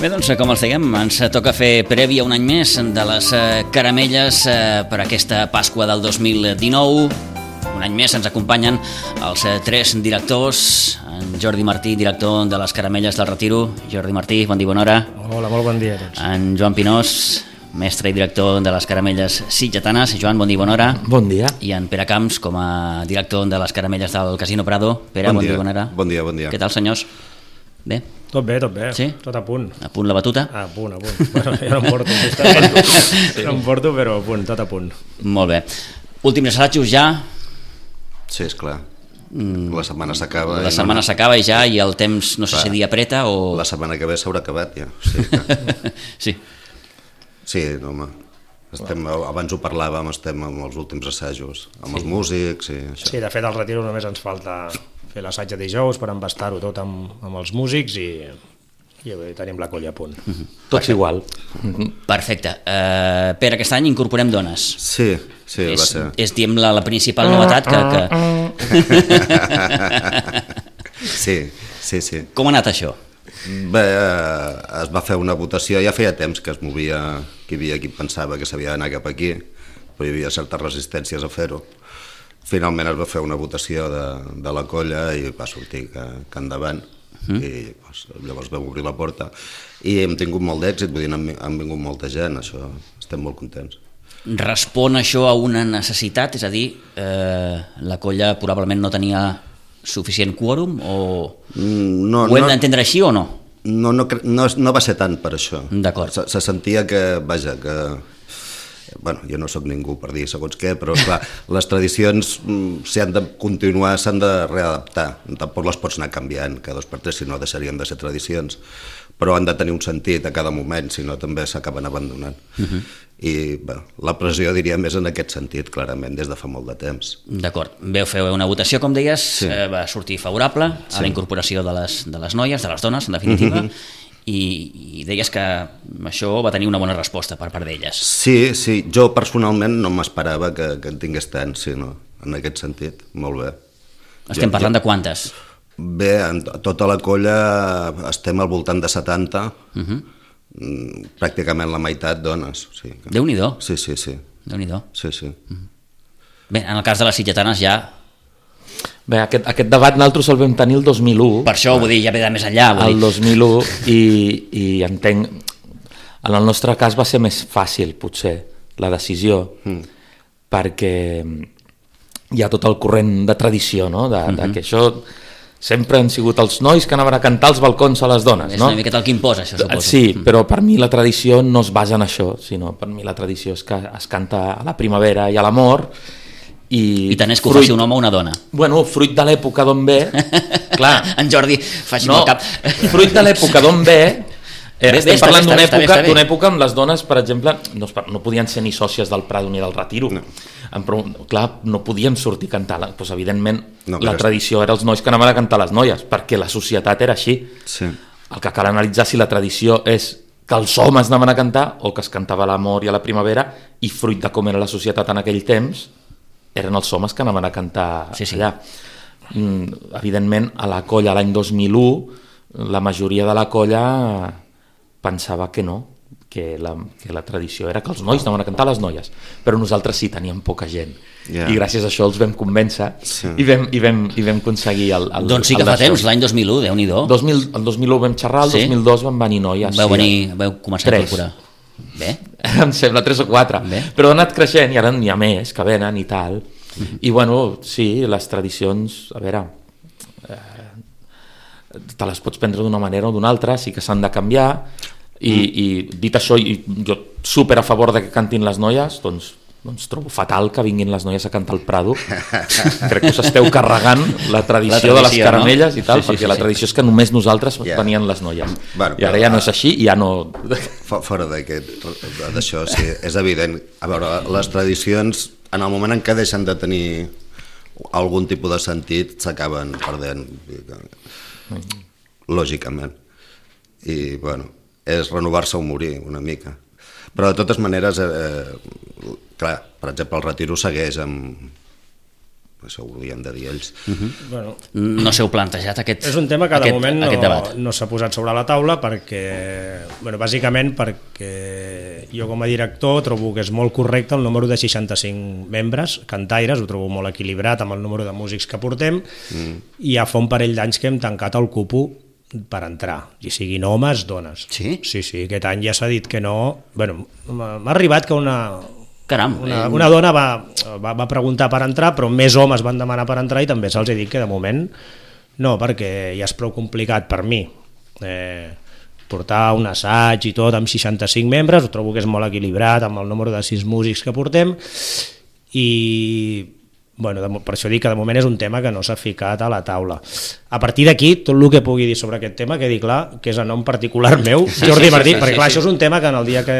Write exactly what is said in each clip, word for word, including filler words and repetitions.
Bé, doncs, com els dèiem, ens toca fer prèvia un any més de les caramelles per aquesta Pasqua del dos mil dinou. Un any més ens acompanyen els tres directors. En Jordi Martí, director de les Caramelles del Retiro. Jordi Martí, bon dia, bona hora. Hola, molt bon dia a tots. En Joan Pinós, mestre i director de les Caramelles Sitgetanes. Joan, bon dia, bona hora. Bon dia. I en Pere Camps, com a director de les Caramelles del Casino Prado. Pere, bon, bon dia, bona hora. Bon dia, bon dia. Què tal, senyors? Bé? Tot bé, tot bé. Sí? Tot a punt. A punt la batuta? A punt, a punt. Bueno, jo no em porto, sí. no em porto, però a punt, tot a punt. Molt bé. Últims assajos ja? Sí, esclar. La setmana s'acaba. La setmana no... s'acaba i ja, i el temps, no sé Clar. si dia apreta o... La setmana que ve s'haurà acabat ja. Sí, sí. Sí, no, home. Estem, abans ho parlàvem, estem amb els últims assajos, amb sí. els músics i això. Sí, de fet al Retiro només ens falta fer l'assaig de dijous per embastar-ho tot amb, amb els músics i, i tenim la colla a punt. Mm-hmm. Tots igual. Perfecte. Uh, Pere, aquest any incorporem dones. Sí, sí, és, va ser. És, diguem, la, la principal novetat que... que... sí, sí, sí. Com ha anat això? Bé, eh, es va fer una votació, ja feia temps que es movia, que hi havia qui pensava que s'havia d'anar cap aquí, però hi havia certes resistències a fer-ho. Finalment es va fer una votació de, de la colla i va sortir que, que endavant, mm. i doncs, llavors vam obrir la porta i hem tingut molt d'èxit, vull dir, han, han vingut molta gent, això, estem molt contents. Respon això a una necessitat? És a dir, eh, la colla probablement no tenia suficient quòrum o no, ho hem no, d'entendre així o no? No, no, no, no va ser tant per això. D'acord. Se, se sentia que, vaja, que... Bueno, jo no sóc ningú per dir segons què, però clar, les tradicions, si han de continuar, s'han de readaptar. Tampoc les pots anar canviant cada dos per tres, si no deixarien de ser tradicions. Però han de tenir un sentit a cada moment, si no també s'acaben abandonant. Uh-huh. I bé, la pressió diria més en aquest sentit, clarament, des de fa molt de temps. D'acord. Veu fer una votació, com deies, sí. eh, va sortir favorable a sí. la incorporació de les, de les noies, de les dones, en definitiva, uh-huh. I, i deies que això va tenir una bona resposta per part d'elles. Sí, sí, jo personalment no m'esperava que, que en tingués tant, sí, no? En aquest sentit, molt bé. Estem jo, parlant jo... de quantes? Bé, en tota la colla estem al voltant de setanta, uh-huh. pràcticament la meitat dones. Sí. Déu-n'hi-do. Sí, sí, sí. Déu-n'hi-do. Sí, sí. Uh-huh. Bé, en el cas de les sitgetanes ja... Bé, aquest, aquest debat nosaltres el vam tenir el dos mil u. Per això, vull dir, ja ve de més enllà. El dos mil u, i, i entenc... En el nostre cas va ser més fàcil, potser, la decisió, mm. perquè hi ha tot el corrent de tradició, no? De, mm-hmm. de que això sempre han sigut els nois que anaven a cantar als balcons a les dones, és no? És una miqueta el que imposa, això, suposo. Sí, però per mi la tradició no es basa en això, sinó per mi la tradició és que es canta a la primavera i a l'amor. I, I tant és que ho faci un home o una dona. Bueno, fruit de l'època d'on ve... Clar, en Jordi faci no, el cap. Fruit de l'època d'on ve... Eh, bé, estem bé, parlant d'una època, d'una època on les dones, per exemple, no, no podien ser ni sòcies del Prado ni del Retiro. No. Però, clar, no podien sortir a cantar. Doncs, evidentment, no, la tradició era els nois que anaven a cantar les noies, perquè la societat era així. Sí. El que cal analitzar si la tradició és que els homes anaven a cantar o que es cantava a l'amor i a la primavera, i fruit de com era la societat en aquell temps, eren els homes que anaven a cantar sí, sí. allà. Mm, evidentment, a la colla l'any dos mil u, la majoria de la colla pensava que no, que la, que la tradició era que els nois anaven a cantar les noies, però nosaltres sí teníem poca gent. Yeah. I gràcies a això els vam convèncer sí. i, vam, i, vam, i vam aconseguir el, el Doncs sí que fa temps, l'any dos mil u, Déu-n'hi-do. El dos mil u vam xerrar, el sí? dos mil dos van venir noies. Vau, sí, venir, vau començar tres. a incorporar. Bé. Em sembla tres o quatre. Bé. Però ha anat creixent i ara n'hi ha més que venen i tal. Uh-huh. I bueno, sí, les tradicions, a veure, eh, te les pots prendre d'una manera o d'una altra, sí que s'han de canviar. I, mm. i dit això, i jo super a favor de que cantin les noies, doncs, doncs trobo fatal que vinguin les noies a cantar al Prado. Crec que us esteu carregant la tradició, la tradició de les caramelles, no? I tal, sí, sí, perquè sí, la tradició sí. és que només nosaltres yeah. venien les noies. Bueno, I ara ja no és així i ja no... Fora d'això, sí, és evident. A veure, les tradicions, en el moment en què deixen de tenir algun tipus de sentit, s'acaben perdent, lògicament. I, bueno, és renovar-se o morir una mica. Però de totes maneres, eh, clar, per exemple, el Retiro segueix amb, això ho haurien de dir ells. Uh-huh. Bueno, no s'heu plantejat aquest És un tema que de aquest, moment no, no s'ha posat sobre la taula perquè, bueno, bàsicament perquè jo com a director trobo que és molt correcte el número de seixanta-cinc membres, cantaires, ho trobo molt equilibrat amb el número de músics que portem, mm. i ja fa un parell d'anys que hem tancat el cupo per entrar, i siguin homes, dones. Sí? Sí, sí, aquest any ja s'ha dit que no... Bueno, m'ha arribat que una... Caram, una, una dona va, va, va preguntar per entrar, però més homes van demanar per entrar i també se'ls he dit que de moment no, perquè ja és prou complicat per mi. Eh, portar un assaig i tot amb seixanta-cinc membres, ho trobo que és molt equilibrat amb el número de sis músics que portem i... Bueno, de, per això dic que de moment és un tema que no s'ha ficat a la taula. A partir d'aquí, tot el que pugui dir sobre aquest tema quedi clar que és a nom particular meu, Jordi Martí, sí, sí, perquè clar, sí, sí. Això és un tema que en el dia que,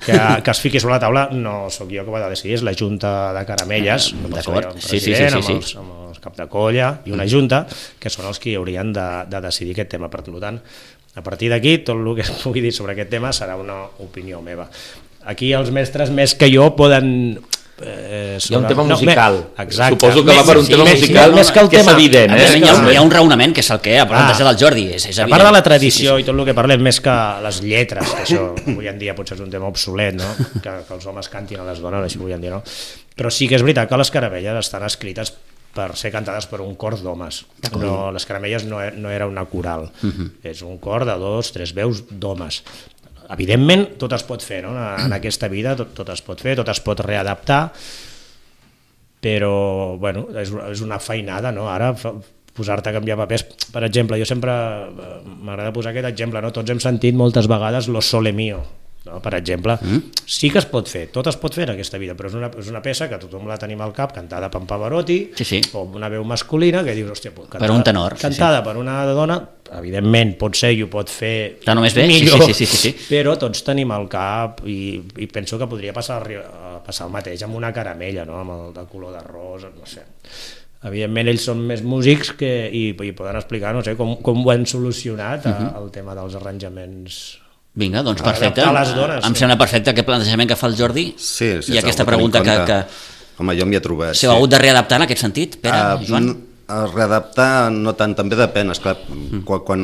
que, que es fiqui sobre la taula no sóc jo que ho ha de decidir, és la Junta de Caramelles, ah, d'acord, sí, sí, sí, sí, sí. Amb, els, amb els cap de colla i una junta, que són els que haurien de, de decidir aquest tema. Per tant, a partir d'aquí, tot el que es pugui dir sobre aquest tema serà una opinió meva. Aquí els mestres, més que jo, poden... Eh, sobre... Hi ha un tema musical, no, exacte. Suposo que va per un sí, tema més, musical més que, el que tema, és evident. Eh? Hi, ha un, hi ha un raonament que és el que ha plantejat el Jordi, és, és a evident. part de la tradició sí, sí, sí. I tot el que parlem, més que les lletres, que això avui en dia potser és un tema obsolet, no? que, que els homes cantin a les dones, així avui en dia no, però sí que és veritat que les caramelles estan escrites per ser cantades per un cor d'homes. No, les caramelles no, no era una coral, uh-huh. és un cor de dos, tres veus d'homes. Evidentment, tot es pot fer, no? En aquesta vida tot, tot es pot fer, tot es pot readaptar, però bueno, és, és una feinada, no? Ara posar-te a canviar papers, per exemple, jo sempre m'agrada posar aquest exemple, no? Tots hem sentit moltes vegades Lo Sole Mio, no? Per exemple, mm. sí que es pot fer, tot es pot fer en aquesta vida, però és una, és una peça que tothom la tenim al cap, cantada per Pavarotti, sí, sí. o una veu masculina que dius, hòstia, cantada, per un tenor, cantada sí, sí. per una dona, evidentment pot ser i ho pot fer Està només bé? millor, sí, sí, sí, sí, sí. però tots tenim al cap i, i penso que podria passar, passar el mateix amb una caramella, no? Amb el de color de rosa, no sé. Evidentment ells són més músics que, i, i poden explicar, no sé, com, com ho han solucionat uh -huh. el tema dels arranjaments. Vinga, doncs perfecte. Dones, em sí. sembla perfecte aquest plantejament que fa el Jordi sí, sí, i aquesta pregunta que, que... Home, jo m'hi he trobat. S'heu sí. hagut de readaptar en aquest sentit, Pere, uh, Joan? Uh, readaptar no tant, també depèn, esclar, mm. quan... quan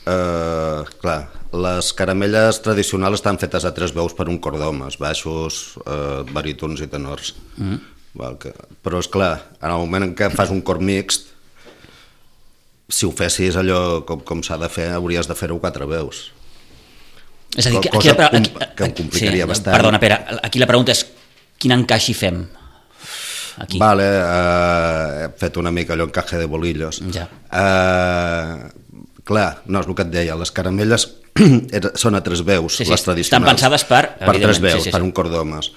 uh, clar, les caramelles tradicionals estan fetes a tres veus per un cor d'homes, baixos, uh, barítons i tenors. Mm. Val, que, però és clar, en el moment en què fas un cor mixt, si ho fessis allò com, com s'ha de fer, hauries de fer-ho quatre veus. És a dir, que, cosa aquí, aquí, que em complicaria sí, bastant. Perdona, Pere, aquí la pregunta és quin encaix hi fem? Aquí. Vale, uh, he fet una mica allò encaje de bolillos. Ja. Uh, clar, no, és el que et deia, les caramelles són a tres veus, sí, sí, les tradicionals. Estan pensades per... Per tres veus, sí, sí, per un cor d'homes.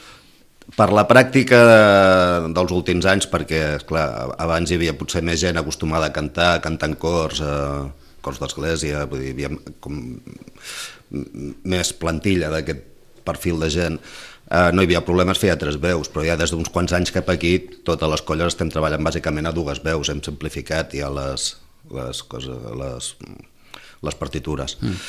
Per la pràctica dels últims anys, perquè clar, abans hi havia potser més gent acostumada a cantar, cantar en cors, eh, cors d'església, vull dir, hi havia com més plantilla d'aquest perfil de gent, eh, no hi havia problemes, feia tres veus, però ja des d'uns quants anys cap aquí totes les colles estem treballant bàsicament a dues veus, hem simplificat ja les, les, coses, les, les partitures. Mm.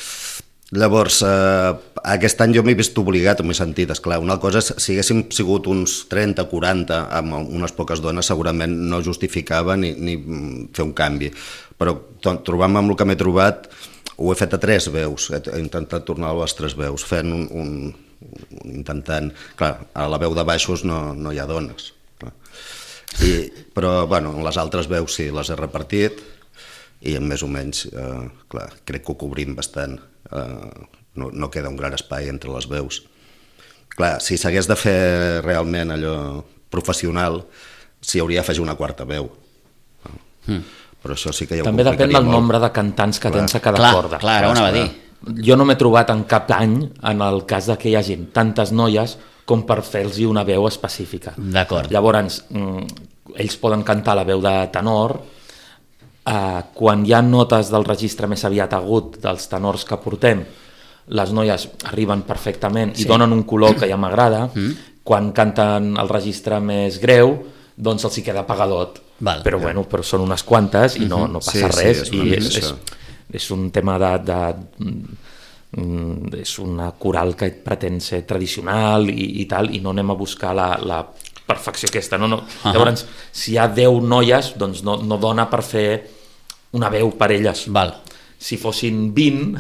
Llavors, eh, aquest any jo m'he vist obligat, m'he sentit, esclar, una cosa és, si haguéssim sigut uns trenta, quaranta, amb unes poques dones, segurament no justificava ni, ni fer un canvi, però trobant-me amb el que m'he trobat, ho he fet a tres veus, he intentat tornar a les tres veus, fent un, un, un intentant, clar, a la veu de baixos no, no hi ha dones, clar. I, però, bueno, les altres veus sí, les he repartit, i més o menys, eh, clar, crec que ho cobrim bastant. Uh, no, no queda un gran espai entre les veus. Clar, si s'hagués de fer realment allò professional, s'hi hauria d'afegir una quarta veu. Mm. Però això sí que ja ho també depèn del molt. Nombre de cantants que clar. Tens a cada clar, corda. Clar, clar, clar, dir. Jo no m'he trobat en cap any, en el cas de que hi hagi tantes noies, com per fer-los una veu específica. D'acord. Llavors, mm, ells poden cantar la veu de tenor. Uh, quan hi ha notes del registre més aviat agut dels tenors que portem, les noies arriben perfectament sí. I donen un color que ja m'agrada. Mm. Quan canten el registre més greu, doncs els hi queda apagadot. Val, però, ja. bueno, però són unes quantes i no, no passa sí, res. Sí, és, I és, és, és un tema de, de, de... és una coral que pretén ser tradicional i, i tal, i no anem a buscar la, la perfecció aquesta, no? no. Uh-huh. Llavors, si hi ha deu noies, doncs no, no dona per fer una veu per elles. Val. Si fossin vint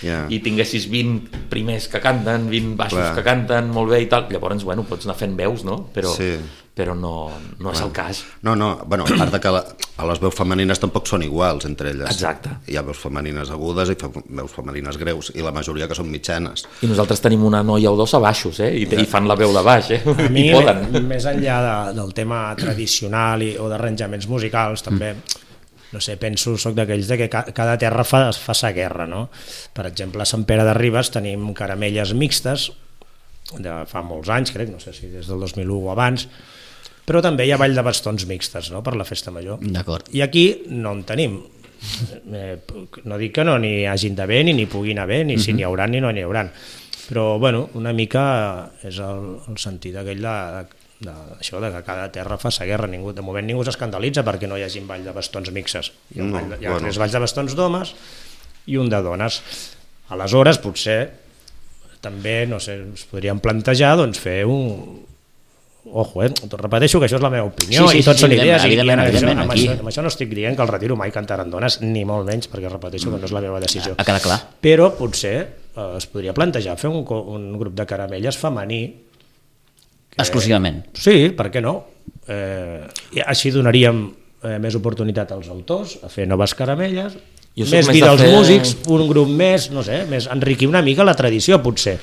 yeah. i tinguessis vint primers que canten, vint baixos Clar. que canten molt bé i tal, llavors, bueno, pots anar fent veus, no? Però, sí. però no, no és el cas. No, no, bueno, a part de que la, a les veus femenines tampoc són iguals entre elles. Exacte. Hi ha veus femenines agudes i fe, veus femenines greus, i la majoria que són mitjanes. I nosaltres tenim una noia o dos a baixos, eh? I, i fan la veu de baix, eh? A mi, I poden. més enllà de, del tema tradicional i, o d'arranjaments musicals, també, mm. no sé, penso, soc d'aquells de que ca, cada terra fa, fa sa guerra, no? Per exemple, a Sant Pere de Ribes tenim caramelles mixtes, de fa molts anys, crec, no sé si des del dos mil u o abans, però també hi ha ball de bastons mixtes, no?, per la festa major. D'acord. I aquí no en tenim. Eh, no dic que no n'hi hagin d'haver, ni n'hi puguin haver, ni si n'hi haurà ni no n'hi haurà. Però, bueno, una mica és el, el sentit aquell de, de, això, de que cada terra fa sa guerra. Ningú, de moment ningú s'escandalitza perquè no hi hagi ball de bastons mixes. Hi ha, No, ball de, hi ha bueno. tres balls de bastons d'homes i un de dones. Aleshores, potser també, no sé, es podríem plantejar doncs, fer un... Ojo, eh? Repeteixo que això és la meva opinió, sí, sí, i tot sí, són sí, idees, i, i evidentment, amb, evidentment, això, amb, aquí. això, amb això no estic dient que el retiro mai cantaran dones, ni molt menys, perquè repeteixo que no és la meva decisió. Ha quedat clar. Però potser eh, es podria plantejar fer un, co- un grup de caramelles femení. Que, Exclusivament. Sí, per què no? Eh, i així donaríem eh, més oportunitat als autors a fer noves caramelles, Jo soc més més vida de als fer- músics, un grup més, no sé, més enriquir una mica la tradició, potser.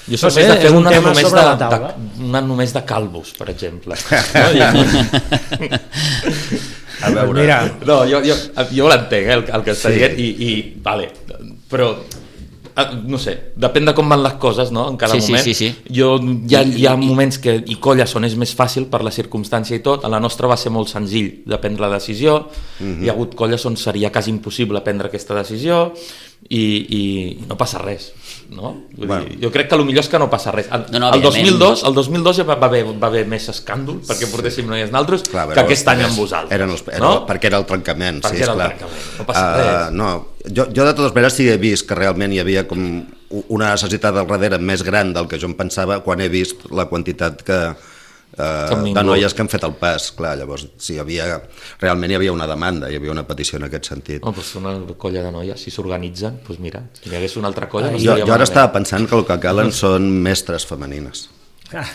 Jo soc No sé, més de fer és un una tema només sobre de, la taula. de, una només de calvos, per exemple. No, ja... A veure, Doncs mira, no jo, jo, jo l'entenc, eh, el, el que està Sí. dient, i, i vale, però eh, no sé, depèn de com van les coses, no?, en cada Sí, sí, moment. sí, sí. Jo, hi ha, hi ha moments que i colles on és més fàcil per la circumstància i tot. A la nostra va ser molt senzill de prendre la decisió. Mhm. Hi ha hagut colles on seria quasi impossible prendre aquesta decisió i, i, i no passa res, no? Vull Bueno. dir, jo crec que el millor és que no passa res. El, No, no, el dos mil dos, evidentment. el dos mil dos ja va, va, haver, va haver més escàndol perquè portéssim noies naltros clar, que però aquest any amb vosaltres. Eren els, era, no? Perquè era el trencament. Perquè sí, era el esclar. trencament, no passa Uh, res. no, jo, jo de totes maneres sí he vist que realment hi havia com una necessitat al darrere més gran del que jo em pensava quan he vist la quantitat que, han uh, vingut. de noies que han fet el pas. Clar, llavors, sí, hi havia, realment hi havia una demanda, hi havia una petició en aquest sentit. Oh, doncs una colla de noies, si s'organitzen, doncs mira, si hi hagués una altra colla... No jo, estaria jo ara malament. estava pensant que el que calen són mestres femenines. ah,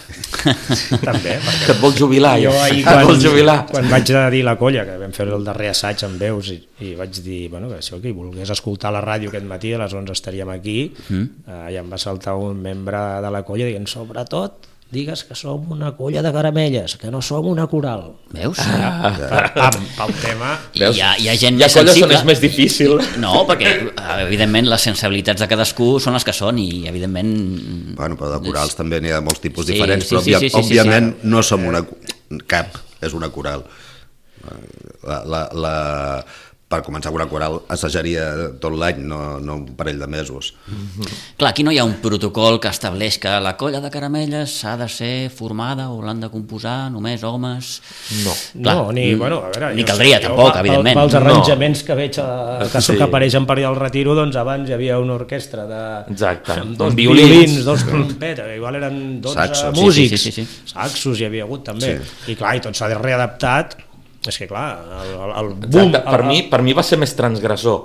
també, perquè Que et vols jubilar, jo ja. ahir Et vols quan, jubilar. quan vaig a dir la colla, que vam fer el darrer assaig amb veus, i, i vaig dir, bueno, que això, que volgués escoltar la ràdio aquest matí, a les onze estaríem aquí, mm. eh, i em va saltar un membre de la colla dient, sobretot, digues que som una colla de caramelles, que no som una coral. Veus? Ah, Pam, pel tema... I hi ha, hi ha gent Hi ha més colles on sensible. és més difícil. No, perquè eh, evidentment les sensibilitats de cadascú són les que són i evidentment... Bueno, però de corals també n'hi ha molts tipus Sí, diferents, sí, però sí, òbvia, sí, sí, sí, òbviament sí. no som una... cap, és una coral. La, la, la, per començar una coral assajaria tot l'any, no, no un parell de mesos. Clar, aquí no hi ha un protocol que estableix que la colla de caramelles s'ha de ser formada o l'han de composar només homes... No. Clar, no, ni, mm, bueno, a veure, ni jo caldria, sé, tampoc, jo, evidentment. Pels No. arranjaments que veig a, que, Sí. que apareixen per allà al retiro, doncs abans hi havia una orquestra de... Exacte. amb dos Amb violins, violins. dos trompetes, igual eren dotze Saxos. Sí, músics, sí, sí, sí, sí. saxos hi havia hagut també, Sí. i clar, i tot s'ha readaptat, és que clar, el, el, el boom... Exacte. Per, el, mi, per mi va ser més transgressor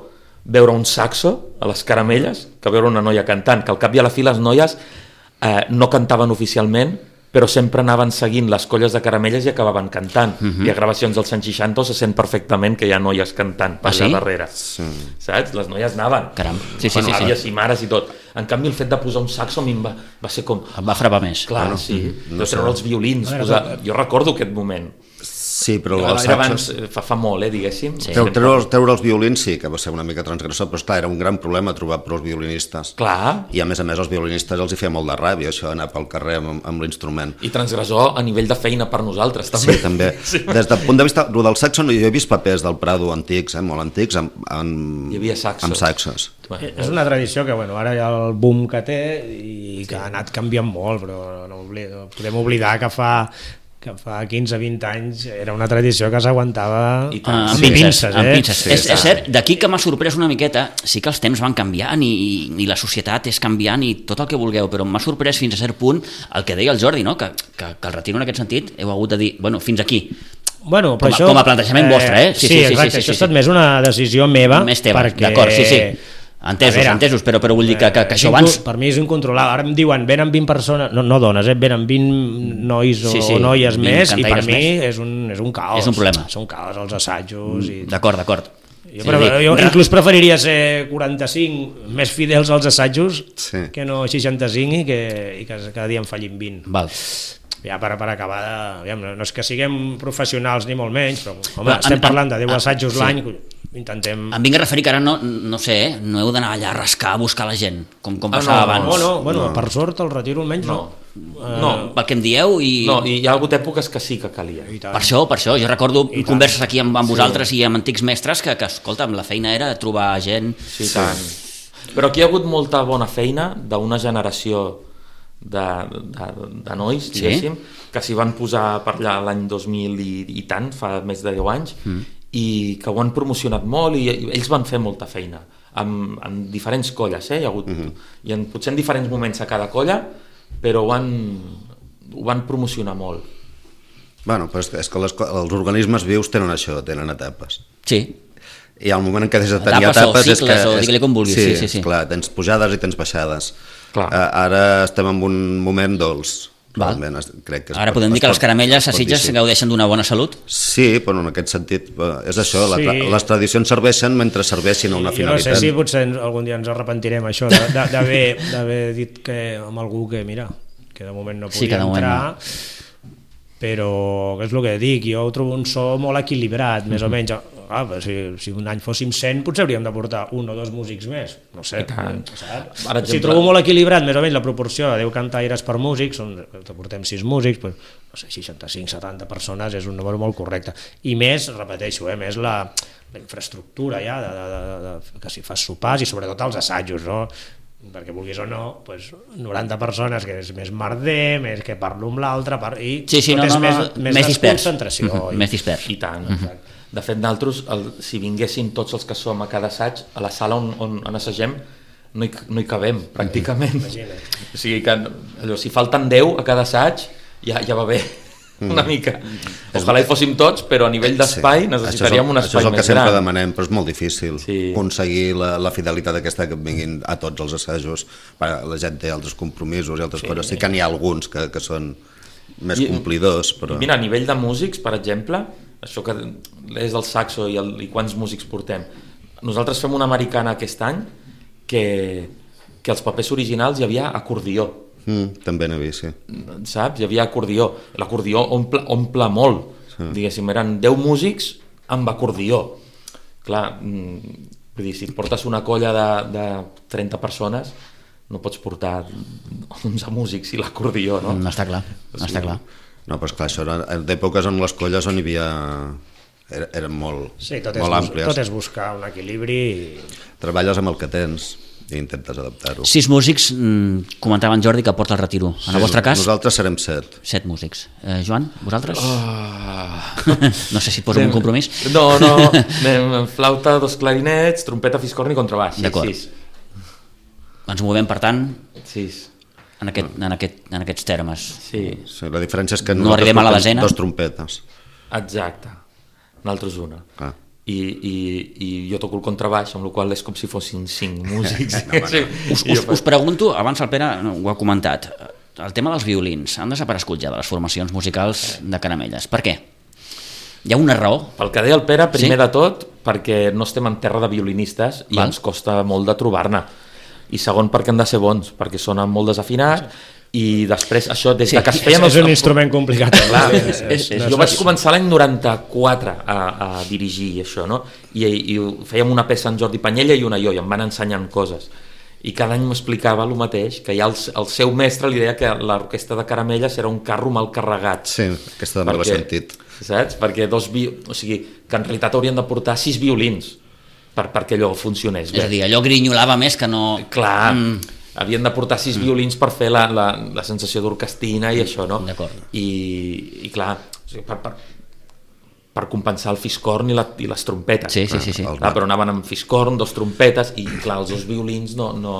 veure un saxo a les caramelles que veure una noia cantant, que al cap i a la fi les noies eh, no cantaven oficialment, però sempre anaven seguint les colles de caramelles i acabaven cantant. Uh -huh. I a gravacions dels anys seixanta se sent perfectament que hi ha noies cantant per Ah, allà sí? darrere. Sí. Saps? Les noies anaven. Caram. Sí, sí, Bueno, sí, sí. àvies i mares i tot. En canvi, el fet de posar un saxo a mi em va, va ser com... Em va frapar més. Clar, Bueno, sí. no No sé. treure els violins. Posar... Jo recordo aquest moment. Sí, però Era els abans, saxos... eh, fa, fa molt, eh, diguéssim. Sí. Treure, treure, treure els violins sí que va ser una mica transgressor, però esclar, era un gran problema trobar prou violinistes. Clar. I a més a més els violinistes els hi feia molt de ràbia, això, anar pel carrer amb, amb l'instrument. I transgressor a nivell de feina per nosaltres, també. Sí, també. Des del punt de vista el del saxo, jo he vist papers del Prado antics, eh, molt antics, amb, amb, Hi havia saxos. amb saxos. Bueno, És una tradició que bueno, ara hi ha el boom que té i que ha anat canviant molt, però no, oblida, no podem oblidar que fa que fa quinze vint anys era una tradició que s'aguantava I tant. amb amb pinces, pinces, amb eh? pinces. Sí, és, sí. és cert, d'aquí que m'ha sorprès una miqueta, sí que els temps van canviant i, i, i la societat és canviant i tot el que vulgueu, però m'ha sorprès fins a cert punt el que deia el Jordi, no? que, que, que el retiro en aquest sentit heu hagut de dir, bueno, fins aquí. Bueno, però Com a- això, com a plantejament vostre, eh? Sí, Sí, sí, sí, exacte, sí, sí, això sí, ha estat sí. més una decisió meva. Més teva, perquè... d'acord, sí, sí. Entesos, A veure, entesos, però, però vull dir que, que, que és això inco- abans... Per mi és incontrolable. Ara em diuen, venen vint persones, no, no dones, eh? venen vint nois o, Sí, sí, o noies vint més, i per cantaires mi més. és un, és un caos. És un problema. És un caos els assajos. I... D'acord, d'acord. Jo, però, jo inclús preferiria ser quaranta-cinc més fidels als assajos Sí. que no seixanta-cinc i que, i que cada dia en fallin vint. Val. Ja per, per acabar, de, aviam, no, no és que siguem professionals ni molt menys, però home, Però, estem en- parlant de deu en- assajos sí. l'any, intentem... Em vinc a referir que ara no, no sé, eh? no heu d'anar allà a rascar, a buscar la gent, com, com Ah, passava no, abans. No, no, bueno, No. per sort el retiro almenys no. No, no, Pel que em dieu i... no, i hi ha hagut èpoques que sí que calia. I tant. Per això, per això, jo recordo I tant. converses aquí amb, amb vosaltres i amb antics mestres que, que, escolta, la feina era trobar gent... Sí, tant. Però aquí hi ha hagut molta bona feina d'una generació de, de, de nois, Sí? diguéssim, que s'hi van posar per allà l'any dos mil i, i tant, fa més de deu anys, mm. i que ho han promocionat molt i, i ells van fer molta feina amb, amb diferents colles, eh? Hi ha hagut, mm -hmm. i en, potser en diferents moments a cada colla, però ho van, ho van promocionar molt. Bueno, però és que, és que les, co- els organismes vius tenen això, tenen etapes. Sí, I al moment en què deixes de tenir Etapes o etapes... és cicles, que, o digue-li com vulguis, sí, sí, sí. Clar, tens pujades i tens baixades. Clar. Uh, ara estem en un moment dolç. Val. Realment, es- crec que es ara pot- podem dir es que les pot- caramelles es a pot Sitges dir, sí. gaudeixen d'una bona salut? Sí, però en aquest sentit eh, és això, la, Sí. tra- les tradicions serveixen mentre serveixin a una Jo no finalitat. sé si potser ens- algun dia ens arrepentirem això de- de- d'haver d'haver dit que amb algú que, mira, que de moment no podia Sí, que de moment entrar, però és el que dic, jo ho trobo un so molt equilibrat, més o menys. Ah, però si, si un any fóssim cent, potser hauríem de portar un o dos músics més, no sé. I tant. Saps? Per exemple- Si trobo molt equilibrat, més o menys la proporció de deu cantaires per músics, on portem sis músics, doncs, no sé, seixanta-cinc setanta persones és un número molt correcte. I més, repeteixo, eh, més la, la infraestructura ja, de, de, de, de, que si fas sopars i sobretot els assajos, no? Perquè vulguis o no, doncs noranta persones que és més merder, més que parlo amb l'altre, par... i Sí, sí, tot no, és no, més, no, més, més dispers. desconcentració. Mhm, i... més dispers. I tant. De fet, nosaltres, el, si vinguessin tots els que som a cada assaig, a la sala on, on, on assagem, no hi, no hi cabem, pràcticament. Imagina't. O sigui que, allò, si falten deu a cada assaig, ja, ja va bé, una mica. Ojalà hi fóssim tots, però a nivell d'espai Sí. necessitaríem un Això espai és el que més sempre gran. demanem, però és molt difícil Sí. aconseguir la, la fidelitat aquesta que vinguin a tots els assajos. La gent té altres compromisos i altres sí. coses. Sí que n'hi ha alguns que, que són més I- complidors, però... Mira, a nivell de músics, per exemple, això que és el saxo i, el, i quants músics portem, nosaltres fem una americana aquest any que, que els papers originals hi havia acordió. Mm, també n'he vist, sí. Saps? Hi havia acordió. L'acordió omple, omple molt. Sí. Diguéssim, eren deu músics amb acordió. Clar, mm, vull dir, si portes una colla de, de trenta persones, no pots portar onze músics i l'acordió, no? No està clar, no està clar. No, però esclar, això era d'èpoques en les colles on hi havia... Era, eren molt, Sí, tot és, molt bus- àmplies. tot és buscar un equilibri i... Treballes amb el que tens i intentes adaptar-ho. Sis músics, mm, comentava en Jordi que porta el retiro. En el vostre cas, Nosaltres serem set. set músics. Eh, Joan, vosaltres? Ah. No sé si et poso un compromís. No, no, anem flauta, dos clarinets, trompeta, fiscorn i contrabaix. Sí, D'acord. sis. Ens movem, per tant, Sis. en, aquest, en, aquest, en aquests termes. Sí, Sí, la diferència és que No nosaltres arribem a la portem desena. dos trompetes. exacte. Nosaltres una. Ah. I, i, i jo toco el contrabaix, amb la qual cosa és com si fossin cinc músics. No, home, no. Sí. Us, I us, jo us pregunto, abans el Pere no, ho ha comentat, el tema dels violins han desaparegut ja de les formacions musicals de Caramelles. Per què? Hi ha una raó? Pel que deia el Pere, primer Sí? de tot, perquè no estem en terra de violinistes i Val. ens costa molt de trobar-ne. I segon, perquè han de ser bons, perquè sonen molt desafinats, i després això, des Sí, de que es És, feien... és un instrument complicat. Clar, és, és, és, jo vaig començar l'any noranta-quatre a, a dirigir això, no? I, i fèiem una peça en Jordi Panyella i una jo, i em van ensenyant coses. I cada any m'explicava el mateix, que ja el, el seu mestre li deia que l'orquestra de Caramelles era un carro mal carregat. Sí, aquesta també l'he sentit. Saps? Perquè dos vi... o sigui, que en realitat haurien de portar sis violins per, perquè allò funcionés És bé. a dir, allò grinyolava més que no... Clar, Mm. havien de portar sis mm. violins per fer la, la, la sensació d'orquestina i això, no? D'acord. I, i clar, o sigui, per, per, per compensar el fiscorn i, la, i les trompetes. Sí, sí, sí. sí. Clar, però anaven amb fiscorn, dos trompetes, i clar, els dos violins no, no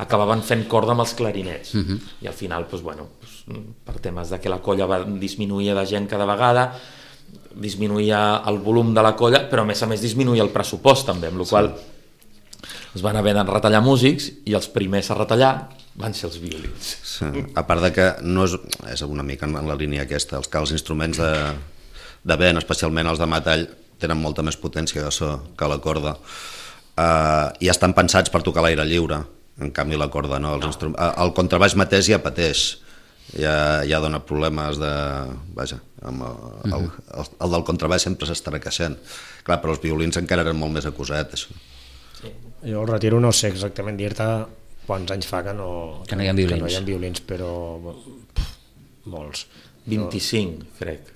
acabaven fent corda amb els clarinets. Uh-huh. I al final, doncs, bueno, doncs, per temes de que la colla va disminuir de gent cada vegada, disminuïa el volum de la colla, però a més a més disminuïa el pressupost també, amb la qual es van haver de retallar músics i els primers a retallar van ser els violins. Sí. A part de que no és, és una mica en la línia aquesta, els que els instruments de, de vent, especialment els de metall, tenen molta més potència de so que la corda, uh, i estan pensats per tocar l'aire lliure. En canvi la corda no, els instrum... el contrabaix mateix ja pateix, ja, ja dona problemes de... Vaja, amb el, el, el, el del contrabaix sempre s'estarà queixant. Clar, però els violins encara eren molt més acusat, això. Sí. Jo el retiro no sé exactament dir-te quants anys fa que no, que no hi ha violins, que no hi ha violins però pff, molts. vint-i-cinc, crec.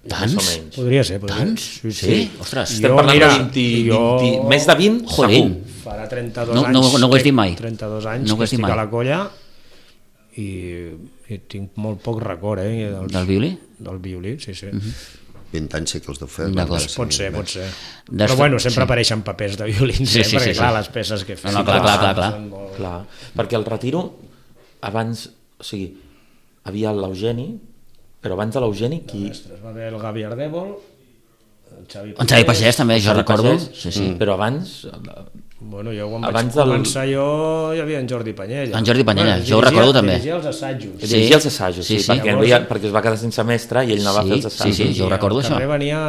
Tants? Més o menys. Podria ser, podria Tants? ser. Sí, sí. sí. Ostres. Estem parlant mira, de vint, jo... vint, més de vint, Jolín. segur. Farà trenta-dos no, anys. No, no ho has dit mai. trenta-dos anys no que estic mai. a la colla i, i tinc molt poc record, eh? Dels, del violí? Del violí, sí, sí. Uh-huh. vint anys sí que els deu fer. D'acord. Pot ser, pot ser. Des... Però bueno, sempre sí. apareixen papers de violins, sí, eh? sí, perquè sí, clar, sí. les peces que fem no, no, clar, clar, clar, clar. són molt... clar. Perquè el retiro, abans, o sigui, havia l'Eugeni, però abans de l'Eugeni qui... Mestres, va haver el Gavi Ardèvol, el Xavi Pagès... En Xavi Pagès també, jo Xavi recordo. Pagès, sí, sí. Mm. Però abans... Bueno, jo quan abans vaig del... començar jo hi havia en Jordi Panyella. En Jordi Panyella, bueno, jo ho recordo també. Dirigia els assajos. Sí. Dirigia els assajos, sí, Sí, sí, sí. perquè, Llavors... havia, perquè es va quedar sense mestre i ell anava Sí, a fer els assajos. sí, sí, jo ho recordo, al això. carrer venia,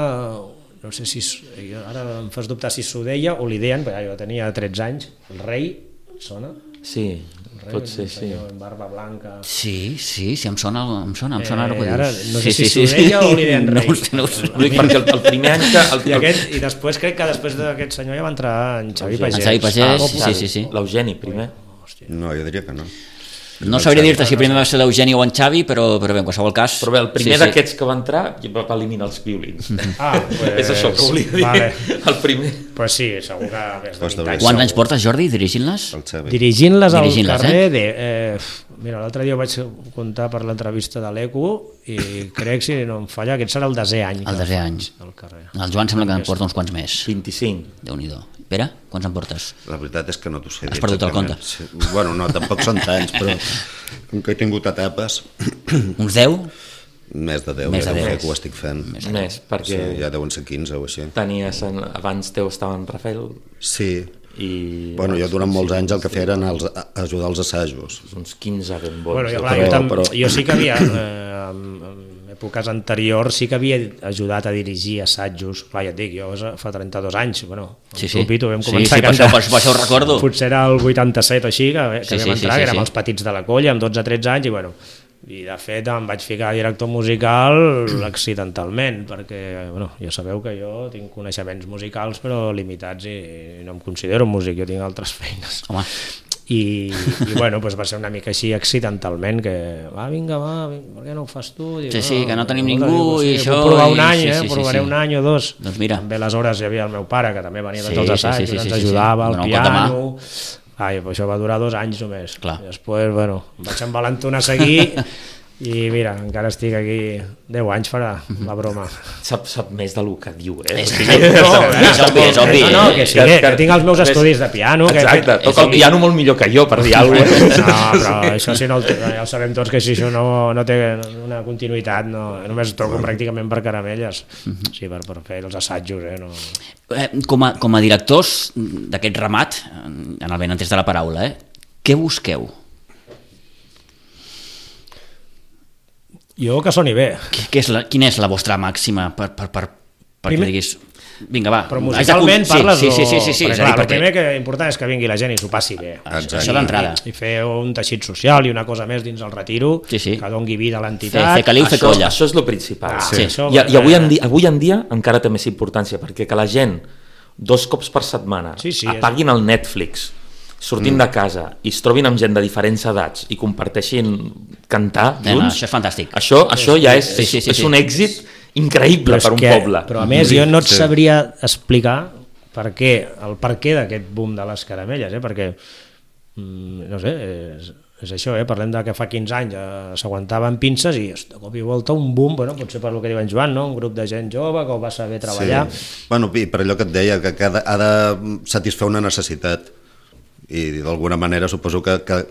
no sé si, ara em fas dubtar si s'ho deia o li deien, perquè jo tenia tretze anys, el rei, sona? Sí, El rei, pot ser, sí. En barba blanca... Sí, sí, sí, em sona, em sona, em sona Eh, ara que ara dius. no sé sí, si sí, s'ho deia o li deien rei. No ho sé, no ho sé. Ho dic perquè el, el primer any que... El, I, aquest, I després crec que després d'aquest senyor ja va entrar en Xavi Eugeni. Pagès. En Xavi Pagès, Ah, sí, sí, sí. L'Eugeni, primer. No, jo diria que no. No sabria dir-te si primer va ser l'Eugeni o en Xavi, però, però bé, en qualsevol cas... Però bé, el primer sí, sí. d'aquests que va entrar va eliminar els violins. Ah, pues, És això que volia dir. Vale. El primer. Pues sí, segur que més de Pues vint de anys. Quants anys portes, Jordi, dirigint-les? El Xavi. Dirigint-les al Dirigint-les, carrer eh? de... Eh, mira, l'altre dia ho vaig comptar per l'entrevista de l'Eco i crec, si no em falla, aquest serà el desè any. El desè any. Al carrer. El Joan sembla que en porta uns quants més. vint-i-cinc. Déu-n'hi-do. Pere, quants en portes? La veritat és que no t'ho sé dir Has perdut el exactament. compte. Sí. Bueno, no, tampoc són tants, però com que he tingut etapes, Uns deu? més de deu, Més ja de deu deu. fer que ho estic fent. Més, més perquè Sí, ja deuen ser quinze o així. tenies... En, abans teu estava en Rafael Sí, i... bueno, jo durant molts anys el que feia eren els, ajudar als assajos. Uns quinze ben bons. Bueno, jo, clar, però- jo, tam, però- jo sí que havia, eh, en, en èpoques anteriors, sí que havia ajudat a dirigir assajos. Clar, ja et dic, jo fa trenta-dos anys, bueno, Sí, sí, sí. sí. Pito, vam Sí, començar sí, a per això- cantar. per- per això ho recordo. Potser era el vuitanta-set o així, que, que Sí, sí, sí, vam sí, entrar, sí, que érem sí. els petits de la colla, amb dotze tretze anys, i bueno, i de fet em vaig ficar a director musical accidentalment, perquè bueno, ja sabeu que jo tinc coneixements musicals però limitats i, i no em considero músic, jo tinc altres feines. Home, I, i bueno, doncs va ser una mica així accidentalment que va, vinga, va, vinga, per què no ho fas tu? Dic, Sí, sí, que no tenim escolta, ningú dic, i sí, això, puc provar i- un any, sí, eh? sí, sí, provaré sí. un any o dos. Doncs mira. També aleshores hi havia el meu pare que també venia Sí, de tots els sí, assaigs, sí, sí, ens sí, sí, ajudava sí. al Donar un cop de mà. piano. Ai, però això va durar dos anys només. Clar. I després, bueno, em vaig envalentonar a seguir i mira, encara estic aquí deu anys farà la broma. Sap, sap més del que diu, eh? És O que sigui, no, és obvi, és obvi. No, no, que sí, que, que tinc els meus estudis de piano. Que he Exacte, fet- toca el piano molt millor que jo, per dir alguna cosa. No, però això sí, no, el té- ja ho sabem tots que si això no, no té una continuïtat, no, només toco pràcticament per caramelles, sí, per, per fer els assajos, eh, no. Eh, com, a, com a directors d'aquest ramat, en el benentès de la paraula, eh, què busqueu? Jo que soni bé, Què, què és la, quina és la vostra màxima per, per, per, perquè Primer- diguis... Vinga, va. però haig de musicalment cu- parles sí, o... sí, sí, sí, sí, perquè, és a clar, dir, el perquè... primer que important és que vingui la gent i s'ho passi bé. Això, això d'entrada. I fer un teixit social i una cosa més dins el retiro, Sí, sí. que doni vida a Fer, l'entitat. fer caliu, fer Això, colla. això és el principal. Ah, sí. això, I, I avui en, eh, dia, avui en dia encara té més importància, perquè que la gent dos cops per setmana Sí, sí, apaguin el Netflix, surtin mm. de casa i es trobin amb gent de diferents edats i comparteixin cantar No, no, junts, això és fantàstic. això, això ja és, Sí, sí, sí, és sí. un èxit increïble és per un que, poble. Però a més jo no et Sí. sabria explicar per què, el per què d'aquest boom de les caramelles, eh? Perquè mm, no sé, és, és això, eh? Parlem de que fa quinze anys eh, s'aguantaven pinces i de cop i volta un boom, bueno, potser per el que diu en Joan, no? Un grup de gent jove que ho va saber treballar. Sí. Bueno, i per allò que et deia, que, que ha, de, ha de satisfer una necessitat i d'alguna manera suposo que, que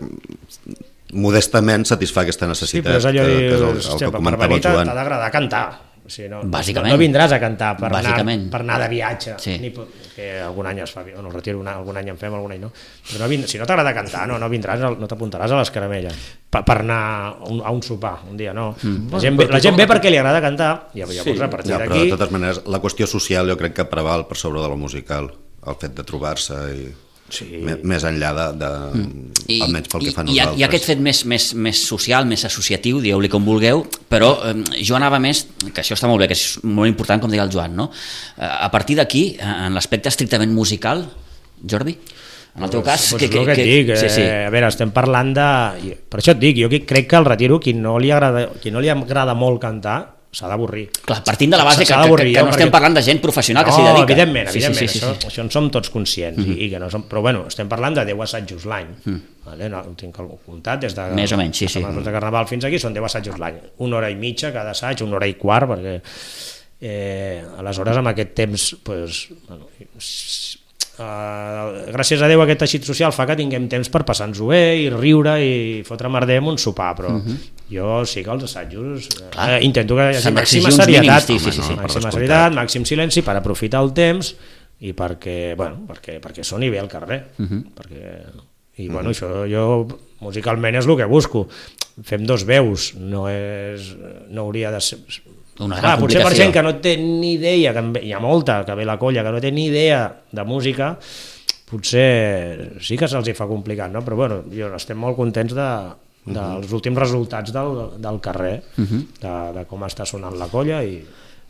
modestament satisfà aquesta necessitat. Sí, però és allò que, de, que és el, el que comentava el Joan. T'ha d'agradar cantar. O sigui, no, Bàsicament. no vindràs a cantar per, anar, Bàsicament. per anar de viatge, Sí. ni, que algun any es fa, no, el retiro, una, algun any en fem, algun any no, però no vind, si no t'agrada cantar, no, no vindràs, no t'apuntaràs a les caramelles per, per anar a un, a un sopar un dia, no. Mm. La, gent, ve, la gent ve perquè li agrada cantar i llavors sí. a partir ja, d'aquí... però de totes maneres, la qüestió social jo crec que preval per sobre de la musical, el fet de trobar-se i... Sí. Més enllà de, de mm. almenys pel que fa a nosaltres. I, i aquest fet més, més, més social, més associatiu, dieu-li com vulgueu, però eh, jo anava més, que això està molt bé, que és molt important, com deia el Joan, no? Eh, a partir d'aquí, en l'aspecte estrictament musical, Jordi, en el teu cas... Pues, que, que, que, que, et dic, sí, sí. Eh, a veure, estem parlant de... Per això et dic, jo crec que al retiro, qui no li agrada, qui no li agrada molt cantar, s'ha d'avorrir. Clar, partint de la base que, que, que, que no estem perquè... parlant de gent professional no, que s'hi dedica. Evidentment, sí, evidentment, sí, sí, sí, això, sí. això en som tots conscients, mm -hmm. i, i que no som, però bueno, estem parlant de deu assajos l'any, mm. vale? No, ho tinc comptat des de... Més o menys, sí, sí. de Carnaval fins aquí són deu assajos l'any, una hora i mitja cada assaig, una hora i quart, perquè eh, aleshores amb aquest temps, pues, bueno, Uh, gràcies a Déu aquest teixit social fa que tinguem temps per passar-nos-ho bé i riure i fotre merder amb un sopar, però uh-huh. jo sí que els assajos eh, intento que hi hagi màxima serietat, mínims, sí, sí, sí, màxima serietat, màxim silenci per aprofitar el temps i perquè, bueno, perquè, perquè soni bé al carrer, uh-huh. perquè, i bueno, uh-huh. això jo musicalment és el que busco, fem dos veus, no és, no hauria de ser... Una Clar, potser per gent que no té ni idea, que hi ha molta que ve la colla que no té ni idea de música, potser sí que se'ls hi fa complicat, no? Però bueno, jo estem molt contents de, dels uh-huh. últims resultats del, del carrer, uh-huh. de, de com està sonant la colla. I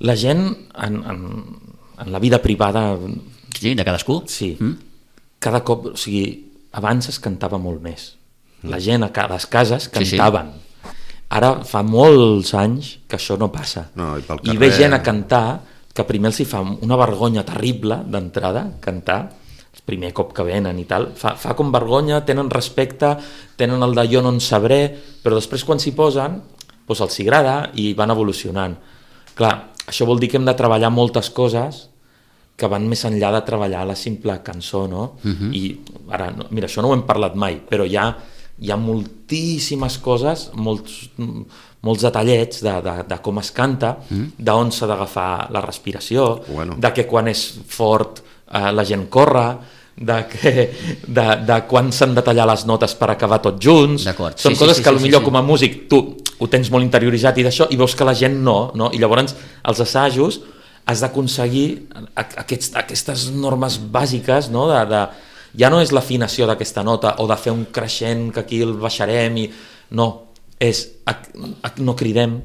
la gent en, en, en la vida privada, sí, de cadascú, sí, mm. cada cop, o sigui, abans es cantava molt més, la gent a les cases cantaven. Sí, sí. Ara fa molts anys que això no passa. No, i, pel carrer... I ve gent a cantar que primer els hi fa una vergonya terrible d'entrada, cantar, el primer cop que venen i tal, fa, fa com vergonya, tenen respecte, tenen el de jo no en sabré, però després quan s'hi posen, doncs els hi agrada i van evolucionant. Clar, això vol dir que hem de treballar moltes coses que van més enllà de treballar la simple cançó, no? Uh-huh. I ara, mira, això no ho hem parlat mai, però hi ha hi ha moltíssimes coses, molts, molts detallets de, de, de com es canta, mm. d'on s'ha d'agafar la respiració, bueno. de que quan és fort eh, la gent corre, de, que, de, de quan s'han de tallar les notes per acabar tots junts. Són sí, coses sí, sí, que potser sí, sí. com a músic tu ho tens molt interioritzat i d'això, i veus que la gent no, no? I llavors els assajos has d'aconseguir aquests, aquestes normes bàsiques, no? de, de ja no és l'afinació d'aquesta nota o de fer un creixent que aquí el baixarem i... no, és no cridem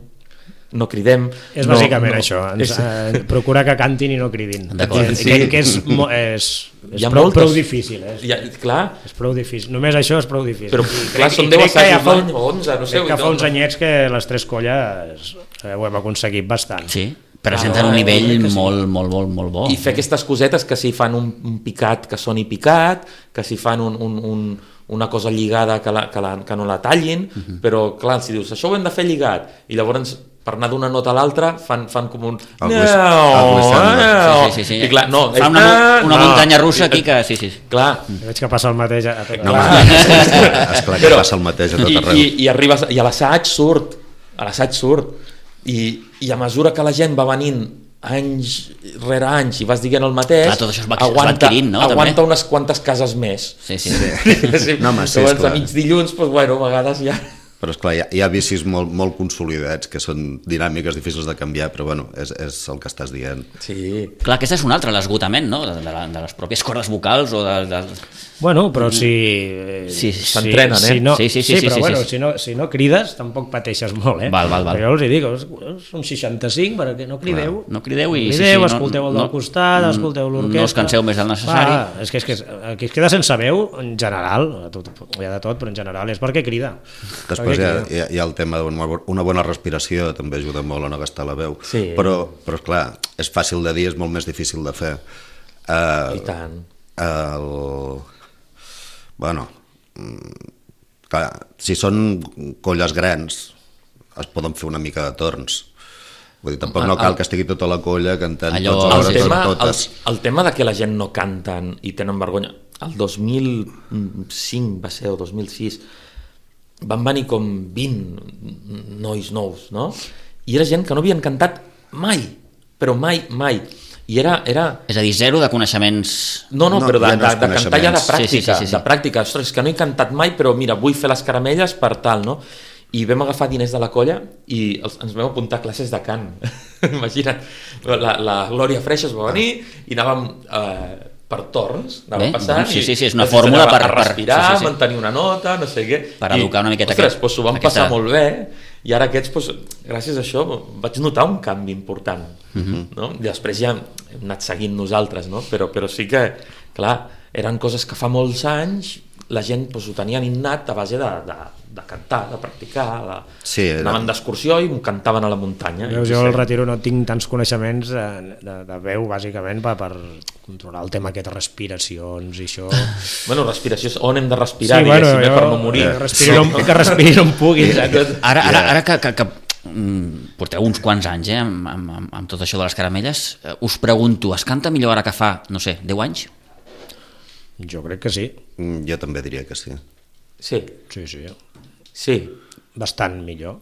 no cridem és no, bàsicament no. això ens, eh, procurar que cantin i no cridin d'acord, sí. que, que és, és, és prou, moltes... prou difícil eh? ja, clar. És prou difícil, només això és prou difícil però I clar, crec, són deu assajos fa, l'any o onze, no sé que fa uns anyets que les tres colles eh, ho hem aconseguit bastant sí. presenten ah, un nivell sí. molt, molt, molt, molt bo. I fer aquestes cosetes que si fan un, un picat que soni picat, que si fan un, un, un, una cosa lligada que, la, que, la, que no la tallin, uh-huh. però clar, si dius, això ho hem de fer lligat, i llavors per anar d'una nota a l'altra fan, fan com un... El no, no. Sí, sí, sí. I clar, no, fa una, una no. muntanya russa aquí que... Sí, sí. Clar. Veig que passa el mateix a tot no, esclar que però, passa el mateix a tot arreu. I, i, i, arribes, i a l'assaig surt, a l'assaig surt, i, i a mesura que la gent va venint anys rere anys i vas dient el mateix, clar, tot això es va, aguanta, es va no, aguanta també? unes quantes cases més. Sí, sí. sí. sí. No, home, sí, llavors a mig dilluns, doncs, bueno, a vegades ja... Però esclar, hi ha, hi ha vicis molt, molt consolidats que són dinàmiques difícils de canviar, però bueno, és, és el que estàs dient. Sí. Clar, aquest és un altre, l'esgotament, no? De, de, la, de les pròpies cordes vocals o de... de... Bueno, però si... Sí, s'entrenen, eh? Si no, sí, sí, sí, sí, però sí, bueno, sí. Si, no, si no crides, tampoc pateixes molt, eh? Val, val, val. Però jo els hi dic, són seixanta-cinc, perquè no crideu. Clar, no crideu i... No crideu, sí, sí, escolteu el no, del costat, no, escolteu l'orquestra... No us canseu més del necessari. Va, és que, és que aquí es queda sense veu, en general, tot, hi ha de tot, però en general és perquè crida. Després hi ha, hi, ha, hi ha el tema d'una bona respiració, també ajuda molt a no gastar la veu. Sí. Però, però clar, és fàcil de dir, és molt més difícil de fer. Uh, I tant. El... Bueno, clar, si són colles grans es poden fer una mica de torns. Vull dir, tampoc no cal que estigui tota la colla cantant Allò, tots els el hores tema, per el, totes. el tema de que la gent no canten i tenen vergonya, el dos mil cinc va ser, o dos mil sis, van venir com vint nois nous, no? I era gent que no havien cantat mai, però mai, mai. I era... era... És a dir, zero de coneixements... No, no, No, però de, ja no de, és de cantar ja de coneixements. pràctica, Sí, sí, sí, sí, sí. de pràctica. Ostres, és que no he cantat mai, però mira, vull fer les caramelles per tal, no? I vam agafar diners de la colla i els, ens vam apuntar a classes de cant. Imagina't, la, la Glòria Freixa es va venir i anàvem eh, per torns, anàvem Bé, passant sí, i sí, sí, és una ens fórmula ensenyava per- a respirar, per- sí, sí, sí. mantenir una nota, no sé què. Per educar una miqueta ostres, aquest- doncs s'ho vam aquesta- passar molt bé i ara aquests, doncs, gràcies a això, vaig notar un canvi important. Mhm. No? I després ja hem anat seguint nosaltres, no? però, però sí que, clar, eren coses que fa molts anys la gent doncs, ho tenien innat a base de, de, de cantar, de practicar, de... Sí, era- anaven d'excursió i cantaven a la muntanya. Veus, I jo sí. al retiro no tinc tants coneixements de, de, de veu, bàsicament, per, per controlar el tema aquest de respiracions i això. Bueno, respiració, és on hem de respirar, sí, bueno, diguéssim, eh, jo, per no morir. Que respiri, on, que respiri on pugui. saps? Ara, ara, ara que, que, que mm, porteu uns quants anys eh, amb, amb, amb, amb tot això de les caramelles, eh, us pregunto, es canta millor ara que fa, no sé, deu anys? Jo crec que sí. Mm, Jo també diria que sí. Sí, Sí, sí. sí. Bastant millor.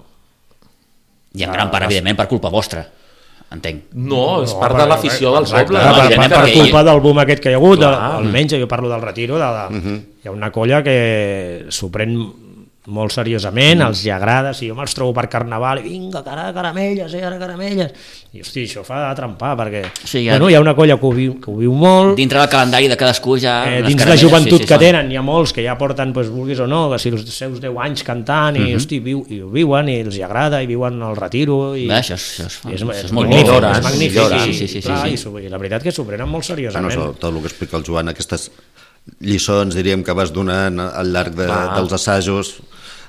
I en gran part, evidentment, per culpa vostra, entenc. No, és No, part per- de l'afició del exacte, poble. Per, per, evidentment, per perquè culpa del boom aquest que hi ha hagut, Clar. almenys jo parlo del retiro, de, de, Mhm. hi ha una colla que s'ho pren molt seriosament, els hi agrada, si jo me'ls trobo per carnaval, i vinga, cara, caramelles, eh, ara caramelles, i hosti, això fa trempar, perquè Sí, ja- bueno, hi ha una colla que ho viu, que ho viu molt, Dintre del calendari de cadascú ja... eh, les dins la caramelles, joventut sí, sí, que sí. tenen, hi ha molts que ja porten, pues, vulguis o no, que si els seus deu anys cantant, i, Mhm. hosti, viu, i ho viuen, i els hi agrada, i viuen al retiro, i... Bé, això, és, això, és, i és, això és, és molt magnífic, millora, és eh? magnífic, Millora. i, Sí, sí, sí, sí, clar, sí. i, s'ho- i la veritat que s'ho prenen molt Bueno, seriosament. sobretot el que explica el Joan, aquestes lliçons, diríem, que vas donant al llarg de, Clar. dels assajos,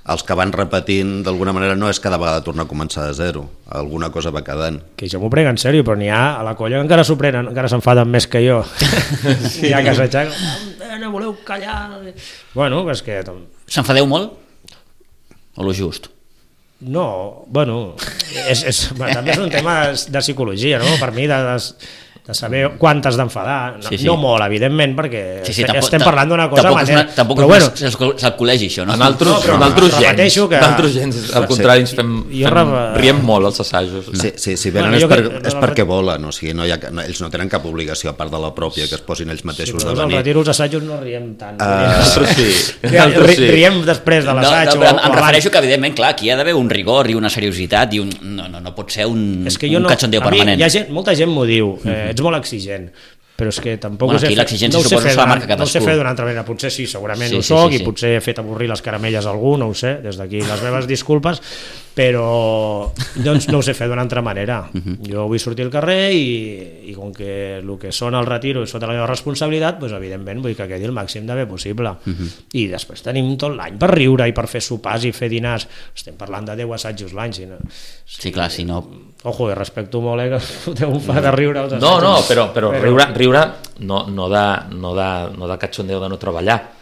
els que van repetint, d'alguna manera, no és cada vegada tornar a començar de zero. Alguna cosa va quedant. Que jo m'ho prenc en sèrio, però n'hi ha a la colla que encara s'ho prenen, encara s'enfaden més que jo. Sí. Ja que s'aixequen, "Oh, no voleu callar... Bueno, és que... S'enfadeu molt? O lo just? No, bueno, és, és, bueno, també és un tema de, de psicologia, no? Per mi, de, de, de saber quan t'has d'enfadar. No, Sí, sí. no molt, evidentment, perquè Sí, sí, est- tampoc, estem parlant d'una cosa tampoc és, una, tampoc però és, bueno, una, és, el- és el col·legi, això, no? En altres, No, però en altres gens, repeteixo que- d'altres gens, al contrari, ens fem, Jo fem rep- riem molt als assajos. Sí, sí, si venen Bueno, és, jo per, que- és perquè volen, o sigui, no hi ha, no, ells no tenen cap obligació, a part de la pròpia, que es posin ells sí, mateixos però de al venir. retiro els assajos no riem tant. Ah, Nosaltres sí. Ri- Nosaltres sí. Riem després de No, no, l'assaig. però em, o- em o refereixo que, evidentment, clar, aquí hi ha d'haver un rigor i una seriositat i un, no, no, no pot ser un, És que jo un no, cachondeo a mi, permanent. hi ha gent, molta gent m'ho diu, eh, ets molt exigent, però és que tampoc Bueno, ho sé aquí fer, l'exigència no ho sé suposo fer que se la d'una- marca no ho sé cadascú. fer d'una altra manera, potser sí, segurament Sí, ho sí, soc sí, i sí. potser he fet avorrir les caramelles a algú, no ho sé, des d'aquí les meves disculpes, però doncs no ho sé fer d'una altra manera. Jo vull sortir al carrer i, i com que el que són el retiro és sota la meva responsabilitat, doncs evidentment vull que quedi el màxim de bé possible. I després tenim tot l'any per riure i per fer sopars i fer dinars. Estem parlant de deu assajos l'any, si no... Sí, clar, si no... Ojo, i respecto molt, eh, que foteu un fa de riure als No, no, assajos. però, però riure, riure no, no, de, no, de, no de cachondeo de no treballar.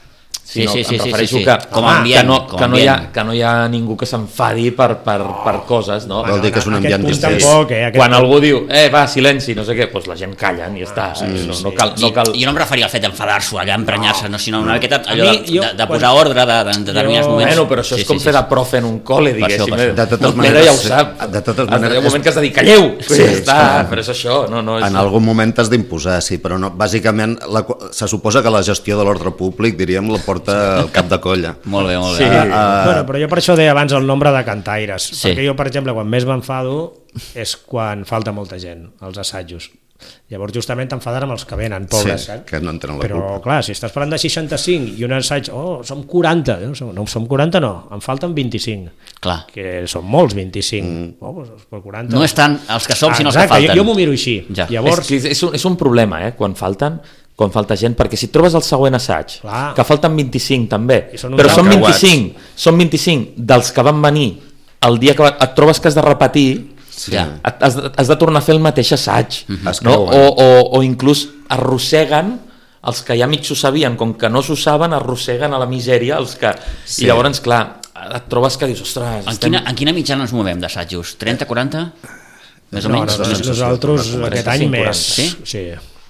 Sí, sinó sí, em sí, sí, refereixo sí, sí. que, Com a home, ambient, que, no, com que, a no hi ha, ambient. que no hi ha ningú que s'enfadi per, per, per coses, no? Vol dir que és un Aquest ambient punt distret. tampoc, eh? Aquest Quan punt. algú diu, eh, va, silenci, no sé què, doncs la gent callen i ja està. sí, sí, no, sí. no cal... No cal... I, jo no em referia al fet d'enfadar-s'ho, allà emprenyar-se, no, sinó una miqueta allò A de, mi, jo, de, de quan- posar ordre de, de, de determinats Jo- moments. Bueno, però això és com fer de profe en un col·le, Per això, diguéssim. per això. De totes El maneres, Pere ja ho sap. de totes Has de- maneres- Hi ha un moment que has de dir, calleu! Sí, Sí, ja està, clar. però és això. No, no, és... En algun moment t'has d'imposar, sí, però no, bàsicament la, se suposa que la gestió de l'ordre públic, diríem, la porta el cap de colla. Molt bé, molt Sí. bé. Uh, bueno, però jo per això deia abans el nombre de cantaires, Sí. perquè jo, per exemple, quan més m'enfado és quan falta molta gent als assajos. Llavors justament t'enfadar amb els que venen, pobres, Sí, saps? que no en tenen la Però culpa. clar, si estàs parlant de seixanta-cinc i un assaig, oh, som quaranta, no, som- no som quaranta no, em falten vint-i-cinc, Clar. que són molts vint-i-cinc, mm. oh, doncs per quaranta... No és tant els que som, sinó els que Exacte, falten. jo, jo m'ho miro així. Ja. Llavors, És, que és, un, és un problema, eh, quan falten quan falta gent, perquè si et trobes el següent assaig, Clar. que falten vint-i-cinc també, I són uns però són encreuats. vint-i-cinc, són vint-i-cinc dels que van venir el dia que va- et trobes que has de repetir, Sí. Ja. et- has, de- has de tornar a fer el mateix assaig, Es no? creuen. o, o, o inclús arrosseguen els que ja mig s'ho sabien, com que no s'ho saben, arrosseguen a la misèria els que... Sí. I llavors, clar, et trobes que dius, ostres... En, estem... quina, en quina mitjana ens movem d'assajos? trenta, quaranta? Més o no, menys? No, no, nosaltres aquest any més. Sí? Sí.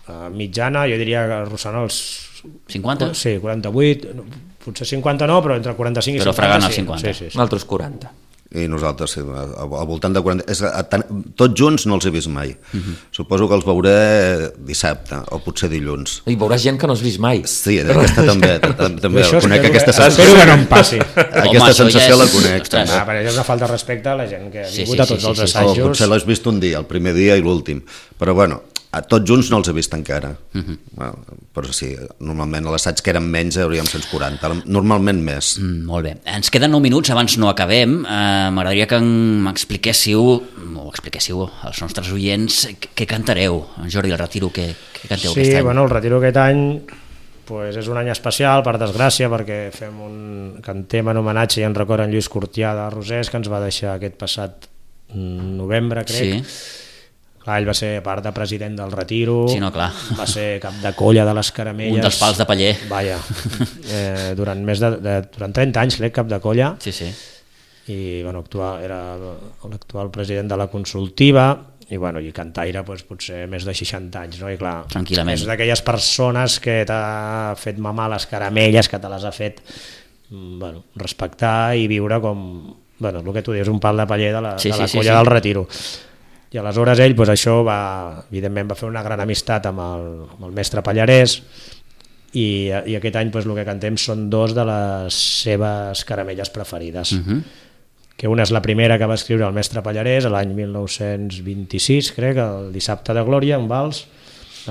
Uh, mitjana, jo diria que arrossant els... cinquanta? Sí, quaranta-vuit, potser cinquanta no, però entre quaranta-cinc i però cinquanta. Però fregant els cinquanta. Sí, sí, sí. Nosaltres quaranta. I nosaltres, sí, al voltant de quaranta... És, a, a, tots junts no els he vist mai. Uh-huh. Suposo que els veuré dissabte o potser dilluns. I veuràs gent que no has vist mai. Sí, aquesta també, també això conec espero aquesta que, sensació. espero que no em passi. Aquesta Home, sensació ja és... la conec. Ah, perquè és una falta de respecte a la gent que ha Sí, vingut sí, a tots sí, els sí, sí. assajos. O potser l'has vist un dia, el primer dia i l'últim. Però bueno, a tots junts no els he vist encara. Uh-huh. Bueno, però sí, normalment a l'assaig que eren menys hauríem cent quaranta, normalment més. Mm, molt bé. Ens queden nou minuts, abans no acabem. Uh, M'agradaria que m'expliquéssiu, o expliquéssiu als nostres oients, què cantareu. Jordi, el Retiro, què, què canteu sí, aquest any? Bueno, el Retiro aquest any pues, és un any especial, per desgràcia, perquè fem un cantem en homenatge i en record en Lluís Cortià de Rosés, que ens va deixar aquest passat novembre, crec. Sí. Clar, ell va ser part de president del Retiro, sí, no, clar. va ser cap de colla de les Caramelles. Un dels pals de paller. Vaja, eh, durant, més de, de, durant trenta anys, crec, cap de colla. Sí, sí. I bueno, actual, era l'actual president de la Consultiva, i, bueno, i cantaire doncs, potser més de seixanta anys, no? I clar, tranquil·lament. És d'aquelles persones que t'ha fet mamar les caramelles, que te les ha fet bueno, respectar i viure com, bueno, el que tu dius, un pal de paller de la, sí, de la sí, colla sí, sí. del Retiro. I aleshores ell, doncs això va, evidentment, va fer una gran amistat amb el, amb el mestre Pallarès, i, i aquest any doncs, el que cantem són dos de les seves caramelles preferides. Uh-huh. Que una és la primera que va escriure el mestre Pallarès l'any mil nou-cents vint-i-sis, crec, el Dissabte de Glòria, un vals,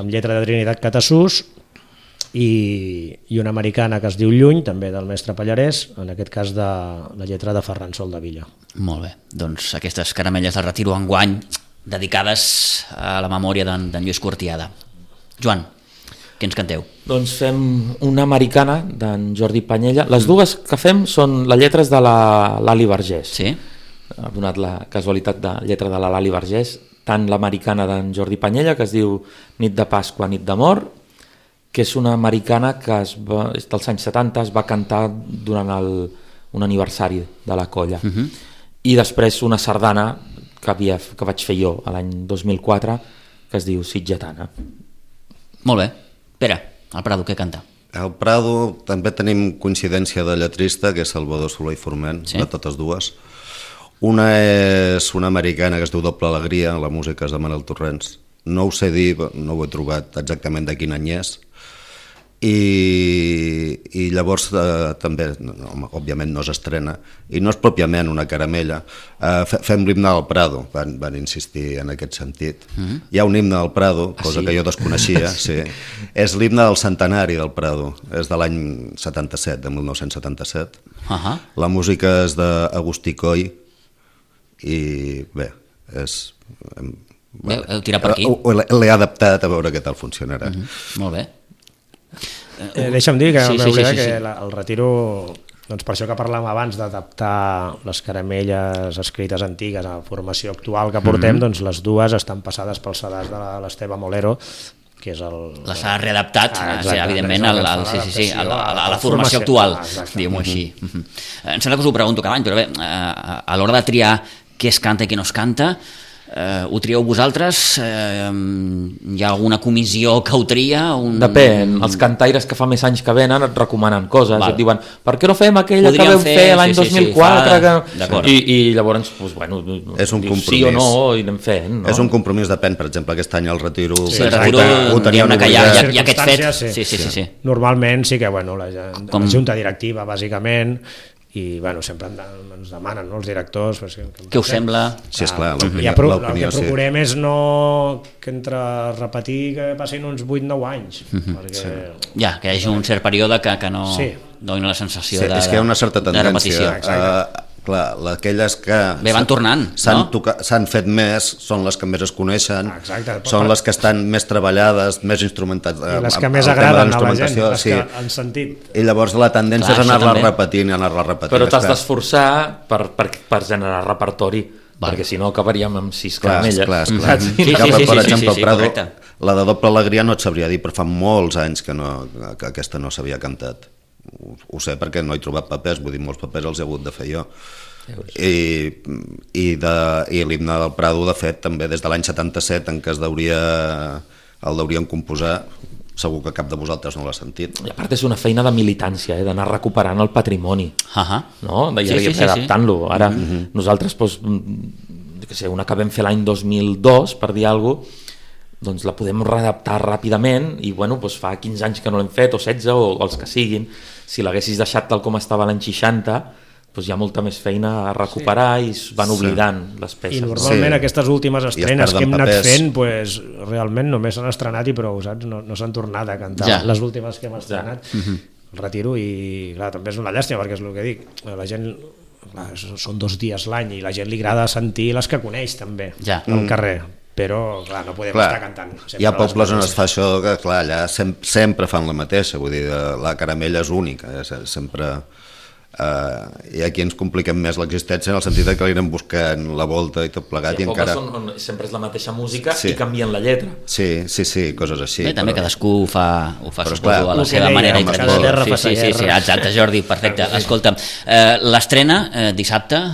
amb lletra de Trinitat Catassús, i, i una americana que es diu Lluny, també del mestre Pallarès, en aquest cas de la lletra de Ferran Sol de Villa. Molt bé, doncs aquestes caramelles del Retiro enguany dedicades a la memòria d'en Lluís Cortiada. Joan, què ens canteu? Doncs fem una americana d'en Jordi Panyella. Les dues que fem són les lletres de la Lali Vergés. Sí? Ha donat la casualitat de lletra de la Lali Vergés, tant l'americana d'en Jordi Panyella, que es diu Nit de Pasqua, Nit d'Amor, que és una americana que es va, dels anys setanta es va cantar durant el, un aniversari de la colla. Uh-huh. I després una sardana que, havia, que vaig fer jo l'any dos mil quatre, que es diu Sitgetana. Molt bé. Pere, el Prado, què canta? Al Prado també tenim coincidència de lletrista, que és Salvador Soler i Forment, sí? De totes dues. Una és una americana que es diu Doble Alegria, la música és de Manel Torrents. No ho sé dir, no ho he trobat exactament de quin any és. I, i llavors eh, també, no, òbviament no s'estrena, i no és pròpiament una caramella. Eh, fem l'himne del Prado, van, van insistir en aquest sentit. Mm-hmm. Hi ha un himne del Prado, cosa ah, sí? que jo desconeixia, sí. És l'himne del centenari del Prado, és de l'any setanta-set, de mil nou-cents setanta-set. Uh-huh. La música és d'Agustí Coll, i bé, és... Bé, heu tirat per aquí. L'he adaptat a veure què tal funcionarà. Mm-hmm. Molt bé. Eh, deixa'm dir que, sí, sí, sí, sí, que sí. la, el Retiro, doncs per això que parlàvem abans d'adaptar les caramelles escrites antigues a la formació actual que portem, mm-hmm. doncs les dues estan passades pel sedàs de l'Esteve Molero, que és el... Les ha readaptat, ah, exacte, sí, evidentment, al, al, sí, sí, sí, a, la, a, la, a la formació actual, ah, diguem-ho així. Mm-hmm. Em sembla que us ho pregunto cada any, però bé, a, a l'hora de triar què es canta i què no es canta, Uh, ho trieu vosaltres? Uh, hi ha alguna comissió que ho tria? Un... Depèn, els cantaires que fa més anys que venen et recomanen coses, Val. et diuen per què no fem aquella Podríem que vam fer, fer l'any sí, sí, dos mil quatre? Sí, fa... que... I, I llavors, doncs, bueno, és un dius, sí o no, i anem fent. No? És un compromís, depèn, per exemple, aquest any el Retiro... Sí, el Retiro, diguem-ne que hi ha, hi ha aquest fet. Sí, sí, sí, sí, sí. Normalment sí que, bueno, la, Com... la junta directiva, bàsicament, i bueno, sempre ens demanen, no, els directors pues, que, que què us sembla? Sí, esclar, l'opinió, ja, pro, l'opinió, el que procurem sí. és no que entre repetir que passin uns vuit nou anys mm-hmm. perquè... sí. ja, que hi hagi un cert període que, que no sí. doni la sensació sí, de, és que hi ha una certa tendència uh, clar, aquelles que bé, van tornant, s'han, no? toca, s'han fet més, són les que més es coneixen, ah, exacte, són les que estan més treballades, més instrumentades, i les que més agraden a la gent, les sí. que han sentit. I llavors la tendència clar, és anar-la repetint i anar-la repetint. Però t'has d'esforçar per, per, per generar repertori, val. Perquè si no acabaríem amb sis caramelles. Clar, clar, clar. Sí, sí, sí, sí, per sí, exemple, sí, sí, el Prado, La de Doble Alegria no et sabria dir, però fa molts anys que, no, que aquesta no s'havia cantat. Ho, ho sé perquè no he trobat papers, vull dir, molts papers els he hagut de fer jo. I, i, de, i l'himne del Prado, de fet, també des de l'any setanta-set, en què es deuria, el deurien composar, segur que cap de vosaltres no l'ha sentit. I a part és una feina de militància, eh, d'anar recuperant el patrimoni, uh-huh. no? De, sí, sí, sí, adaptant-lo. Ara mm-hmm. nosaltres, doncs, que sé, una que vam fer l'any dos mil dos, per dir alguna cosa, doncs la podem readaptar ràpidament i bueno, doncs fa quinze anys que no l'hem fet, o setze, o, o els que siguin. Si l'haguessis deixat tal com estava l'any seixanta, doncs hi ha molta més feina a recuperar sí. i es van oblidant sí. les peces. I normalment sí. aquestes últimes estrenes que hem anat papers. fent, pues, realment només s'han estrenat i prou, saps? No, no s'han tornat a cantar ja. les últimes que hem estrenat. Ja. Mm-hmm. El retiro i clar, també és una llàstima perquè és el que dic, la gent, clar, són dos dies l'any i la gent li agrada sentir les que coneix també ja. al mm. carrer. Però clar, no podem clar, estar cantant. Hi ha pobles on es fa això que clar, allà sem sempre fan la mateixa, vull dir, la caramella és única, eh? sempre... Uh, i aquí ens compliquem més l'existència en el sentit que li anem buscant la volta i tot plegat. Sí, i encara... on, on sempre és la mateixa música sí. i canvien la lletra. Sí, sí, sí, coses així. Bé, també però... cadascú ho fa, ho fa però, clar, a la seva manera i tradició. Sí, sí, sí, sí, exacte, Jordi, perfecte. Escolta'm, uh, l'estrena uh, dissabte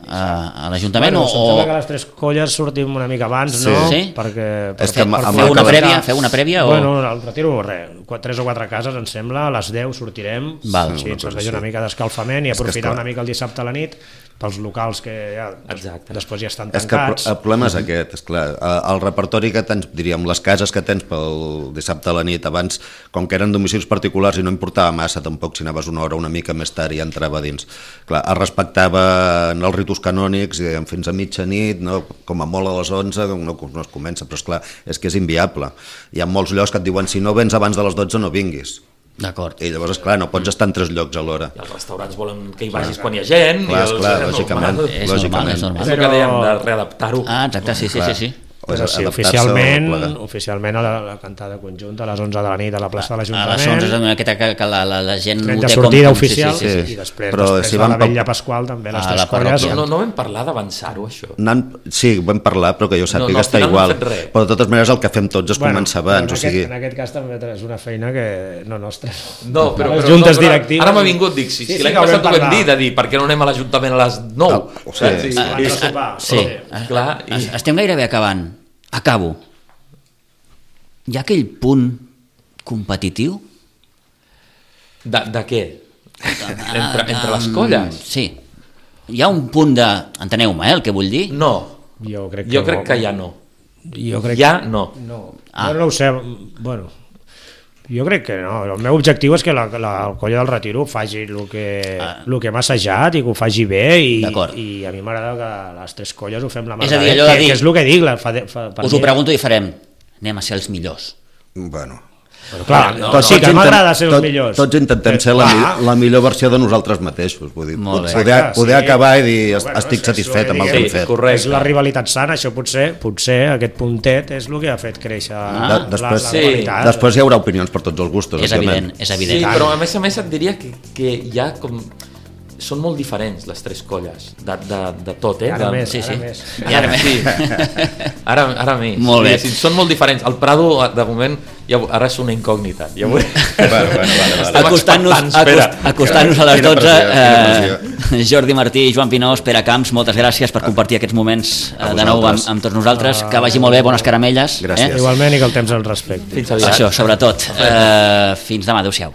a l'Ajuntament? Bueno, o... sembla que les tres colles sortim una mica abans, sí. no? Sí? Perquè, per, per, per fer una prèvia? Fer una prèvia o... Bueno, el retiro, res, tres o quatre cases, em sembla, a les deu sortirem, Val. sí, ens veig una mica d'escalfament i aprofitar una mica el dissabte a la nit pels locals que ja, Exacte. després ja estan tancats. És que el problema és aquest, és clar, el repertori que tens, diríem, les cases que tens pel dissabte a la nit, abans, com que eren domicilis particulars i no importava massa, tampoc si anaves una hora una mica més tard i ja entrava dins. Clar, es respectava els ritus canònics fins a mitjanit, no? Com a molt a les onze no, no es comença, però esclar, és que és inviable. Hi ha molts llocs que et diuen si no vens abans de les dotze no vinguis. D'acord. I llavors, esclar, no pots estar en tres llocs alhora. I els restaurants volen que hi vagis clar, quan hi ha gent. Clar, i els, clar, lògicament. És normal, és normal. És el que dèiem de readaptar-ho. Ah, exacte, sí, sí, sí, sí. Però sí, oficialment, oficialment a la, la cantada conjunta a les onze de la nit a la plaça de l'Ajuntament. A les onze de la nit que, que la, la, la gent ho té sortida com... oficial sí, sí, sí. i després, però després si de la vam... Vetlla Pasqual també les a tres colles. No, no vam parlar d'avançar-ho, això. Nan... Sí, vam parlar, però que jo sàpiga no, no, està igual. No però de totes maneres el que fem tots és bueno, començar abans. En, o sigui... aquest, en aquest cas també és una feina que no nostra. No, però, les però, juntes no, però directives... Ara m'ha vingut, dic, si, sí, si sí, l'any passat ho vam dir, de dir, per què no anem a l'Ajuntament a les nou? Oh, sí, sí, sí. Sí, clar. Estem gairebé acabant. Acabo. Hi ha aquell punt competitiu? De, de què? Entre, entre les colles? Sí. Hi ha un punt de... Enteneu-me, eh, el que vull dir? No. Jo crec que, jo crec no. que ja no. Jo crec ja que... no. No, ah. no, no ho sé. Bueno, jo crec que no. El meu objectiu és que la, la, el Colla del Retiro faci el que, ah. el que m'ha assajat i que ho faci bé i, i a mi m'agrada que les tres colles ho fem la mà. És a dir, allò de dir... Que és el que dic. La, fa, fa, us ho pregunto i farem. Anem a ser els millors. Bueno... Però clar, no, no, sí que m'agrada ser els tot, millors. Tots intentem ser la, ah. la millor versió de nosaltres mateixos. Vull dir, poder, poder sí. acabar i dir bueno, estic satisfet amb el que hem fet. Correcte. És la rivalitat sana, això potser, potser aquest puntet és el que ha fet créixer ah. de, després, la, la sí. rivalitat. Després hi haurà opinions per tots els gustos. És evident, és evident. Sí, però a més a més et diria que, que hi ha com... Són molt diferents les tres colles de, de, de tot, eh? Ara de... més, sí, sí. ara més. I ara més. Sí. Ara, ara més. Molt bé. Sí, sí, són molt diferents. El Prado, de moment, ja, ara és una incògnita. Ja vull... bueno, bueno, vale, vale. Acostant-nos acost, acostant a les dotze, eh, Jordi Martí i Joan Pinós, Pere Camps, moltes gràcies per compartir aquests moments eh, de nou amb, amb tots nosaltres. Que vagi molt bé, bones caramelles. Gràcies. Eh? Igualment i que el temps el respecti. Fins aviat. Això, sobretot. Eh, fins demà, adéu-siau.